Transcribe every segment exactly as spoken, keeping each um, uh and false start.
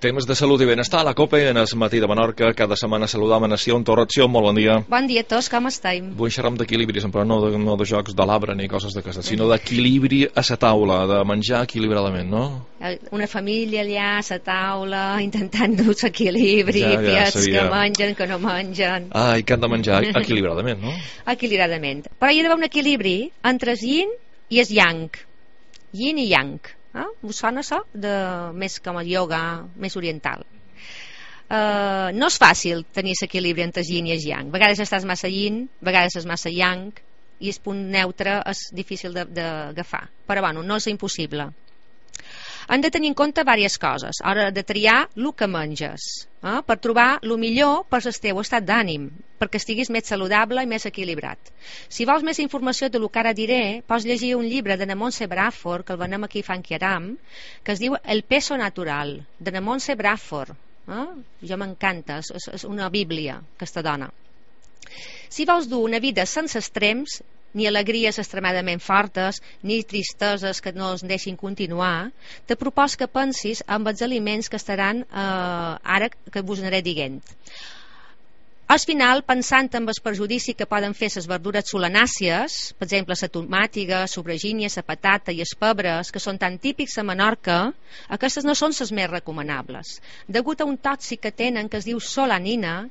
Temes de salut i benestar a la COPE en el matí de Menorca. Cada setmana saludam a Nació, en Torratció. Molt bon dia. Bon dia a tots, com estem? Vull xerrar d'equilibri, però no de, no de jocs de l'arbre ni coses de casa, sinó d'equilibri a la taula, de menjar equilibradament, no? Una família allà a la taula intentant dur l'equilibri, ja, ja, piets que mengen, que no mengen. Ai, que han de menjar equilibradament, no? Equilibradament. Però hi ha d'haver un equilibri entre el yin i el yang. Yin i yang. Eh? Us sona això? De, més com el ioga, més oriental. Uh, no és fàcil tenir l'equilibri entre el yin i el yang. A vegades estàs massa yin, a vegades és massa yang, i el punt neutre és difícil d'agafar. Però bueno, no és impossible. Han de tenir en compte diverses coses a l'hora de triar el que menges, eh? Per trobar el millor per el teu estat d'ànim, perquè estiguis més saludable i més equilibrat. Si vols més informació de lo que ara diré, pots llegir un llibre de na Montse Bradford, que el venem aquí a Fanquiaram, que es diu El peso natural, de na Montse Bradford. Eh? Jo m'encanta, és, és una bíblia, aquesta dona. Si vols dur una vida sense extrems, ni alegries extremadament fortes, ni tristeses que no es deixin continuar, te propos que pensis en els aliments que estaran eh, ara que vos aniré dient. Al final, pensant en el perjudici que poden fer les verdures solanàcies, per exemple, la tomàtiga, la sobragínia, la patata i els pebres, que són tan típics a Menorca, aquestes no són les més recomanables. Degut a un tòxic que tenen que es diu solanina,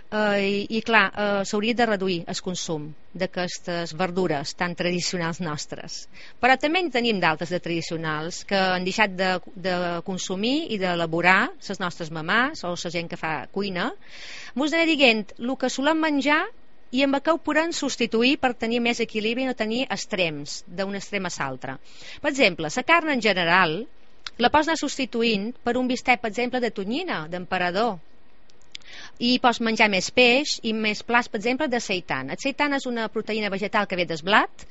Uh, i, i clar, uh, s'hauria de reduir el consum d'aquestes verdures tan tradicionals nostres, però també en tenim d'altres de tradicionals que han deixat de, de consumir i d'elaborar les nostres mamàs o la gent que fa cuina. Mos aniré dient el que solem menjar i amb què ho podem substituir per tenir més equilibri i no tenir extrems d'un extrem a l'altre. Per exemple, la carn en general la pots anar substituint per un bistec, per exemple, de tonyina, d'emperador, i pots menjar més peix i més plats, per exemple, de seitan. El seitan és una proteïna vegetal que ve del blat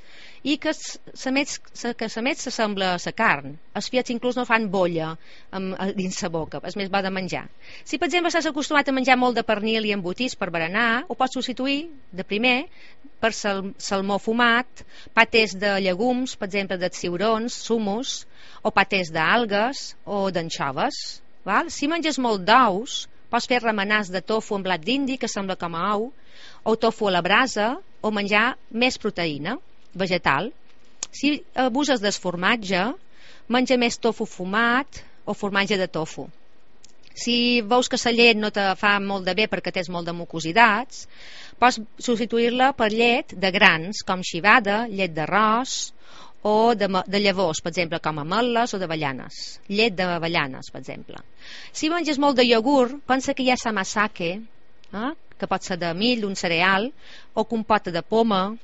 i que s'emet s'assembla a la carn. Els fiats inclús no fan bolla amb, dins la boca, és més bo de menjar. Si, per exemple, estàs acostumat a menjar molt de pernil i embotits per berenar, ho pots substituir de primer per sal, salmó fumat, patés de llegums, per exemple, de ciurons, sumus, o patés d'algues o d'anxoves. Si menges molt d'ous, pots fer remenars de tofu amb blat d'indi, que sembla com a ou, o tofu a la brasa, o menjar més proteïna vegetal. Si abuses del formatge, menja més tofu fumat o formatge de tofu. Si veus que la llet no te fa molt de bé perquè tens molt de mucositats, pots substituir-la per llet de grans, com civada, llet d'arròs, o de, de llavors, per exemple, com ametlles o d'avellanes. Llet d'avellanes, per exemple. Si menges molt de iogurt, pensa que hi ha samasake, eh? Que pot ser de mill, un cereal, o compota de poma,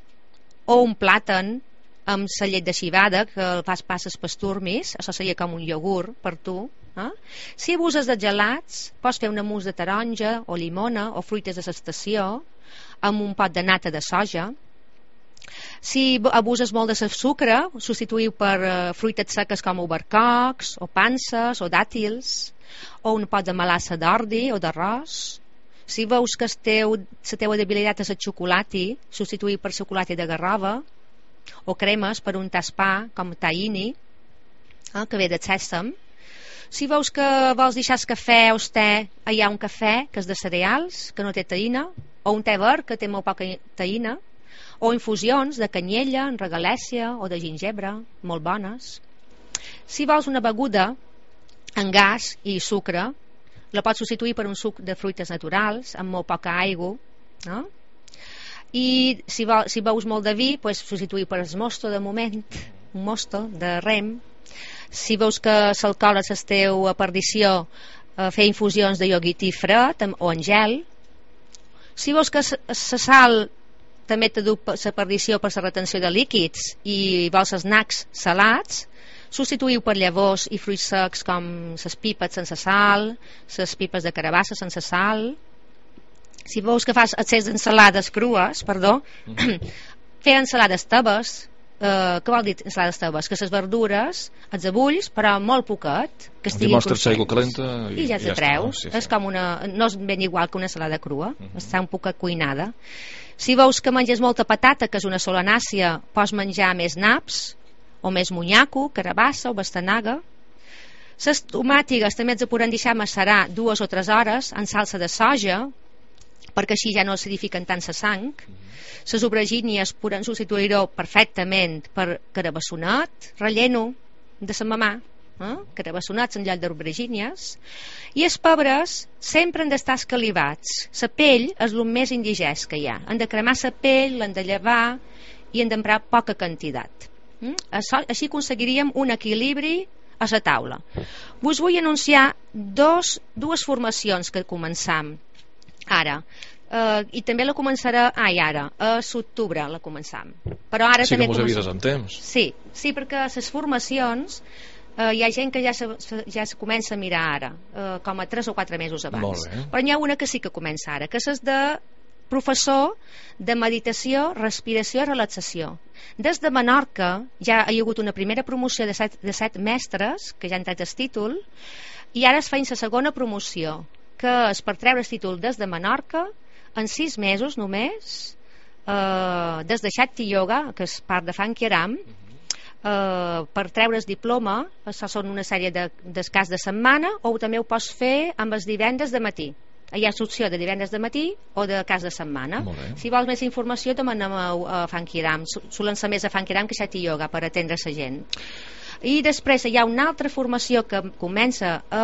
o un plàtan amb la llet de civada, que el fas passes pasturmis, això seria com un iogurt per tu. Eh? Si abuses de gelats, pots fer una mousse de taronja, o llimona, o fruites de l'estació, amb un pot de nata de soja. Si abuses molt de sucre, substituïu per uh, fruites seques com obercocs, o panses, o dàtils, o un pot de melassa d'ordi o d'arròs. Si veus que teu, la teva debilitat és el xocolati, substituïu per xocolati de garrova, o cremes per un taspà com tahini, eh, que ve de sèsam. Si veus que vols deixar el cafè o el te, hi ha un cafè que és de cereals, que no té taïna, o un te verd que té molt poca taïna, o infusions de canyella, regalèssia o de gingebre, molt bones. Si vols una beguda amb gas i sucre, la pots substituir per un suc de fruites naturals amb molt poca aigua, no? I si, vol, si veus molt de vi, pues, substituir per el mosto de moment, un mosto de rem. Si veus que l'alcohol és la teva perdició, eh, fer infusions de iogurtí fred o en gel. Si veus que la sal també te du la perdició per la retenció de líquids i vols snacks salats, substituïu per llavors i fruits secs com les pipes sense sal, les pipes de carabassa sense sal. Si veus que fas excés d'ensalades crues, perdó, mm-hmm. fer ensalades tebes. Uh, què vol dir ensalades tebes? Que les verdures els abulls, però molt poquet, que estiguin conscients, i, i ja te treus. No? Sí, sí. És com una, no és ben igual que una ensalada crua, mm-hmm. Està un poc cuinada. Si veus que menges molta patata, que és una solanàcia, pots menjar més naps o més monyaco, carabassa o bastanaga. Les tomàtigues també ens podem deixar macerar dues o tres hores en salsa de soja, perquè així ja no acidifiquen tant la sang. Les aubergínies poden substituir-ho perfectament per carabassonat, relleno de la mamà, eh? carabassonats en lloc d'aubergínies. I els pebres sempre han d'estar escalivats. La pell és el més indigest que hi ha. Han de cremar la pell, l'han de llevar i han d'emprar poca quantitat. Mm? Així aconseguiríem un equilibri a la taula. Vos vull anunciar dos, dues formacions que començam ara. Uh, i també la començarà ai, ara, a l'octubre la començam. Però ara sí també que mos avises en temps. Sí, sí, perquè les formacions uh, hi ha gent que ja se, ja se comença a mirar ara, uh, com a tres o quatre mesos abans. Però n'hi ha una que sí que comença ara, que és de professor de meditació, respiració i relaxació. Des de Menorca ja hi ha hagut una primera promoció de set, de set mestres que ja han tret el títol, i ara es fa la segona promoció, que és per treure el títol des de Menorca en sis mesos només, eh, des de Shakti Yoga, que és part de Funky Aram, eh, per treure el diploma. Això són una sèrie de, d'escàs de setmana, o també ho pots fer amb els divendres de matí. Hi ha l'opció de divendres de matí o de cas de setmana. Si vols més informació demanem a, a Funky Aram. Solen ser més a Funky Aram que Shakti Yoga per atendre la gent. I després hi ha una altra formació que comença a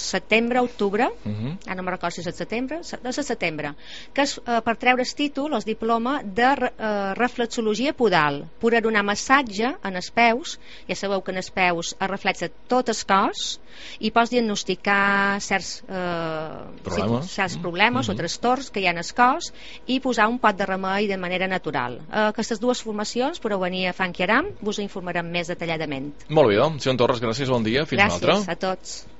setembre, octubre, uh -huh. ara no me'n recordo si és el setembre, no és el setembre, que és uh, per treure el títol, el diploma de uh, reflexologia podal, per donar massatge en els peus. Ja sabeu que en els peus es reflexa tot el cos i pots diagnosticar certs uh, problemes, sí, certs problemes uh -huh. o trastorns que hi ha en el cos i posar un pot de remei de manera natural. Uh, aquestes dues formacions podeu venir a Funky Aram, vos informarem més detalladament. Molt bé, doncs, Sion Torres, gràcies, bon dia, fins gràcies una altra. a tots.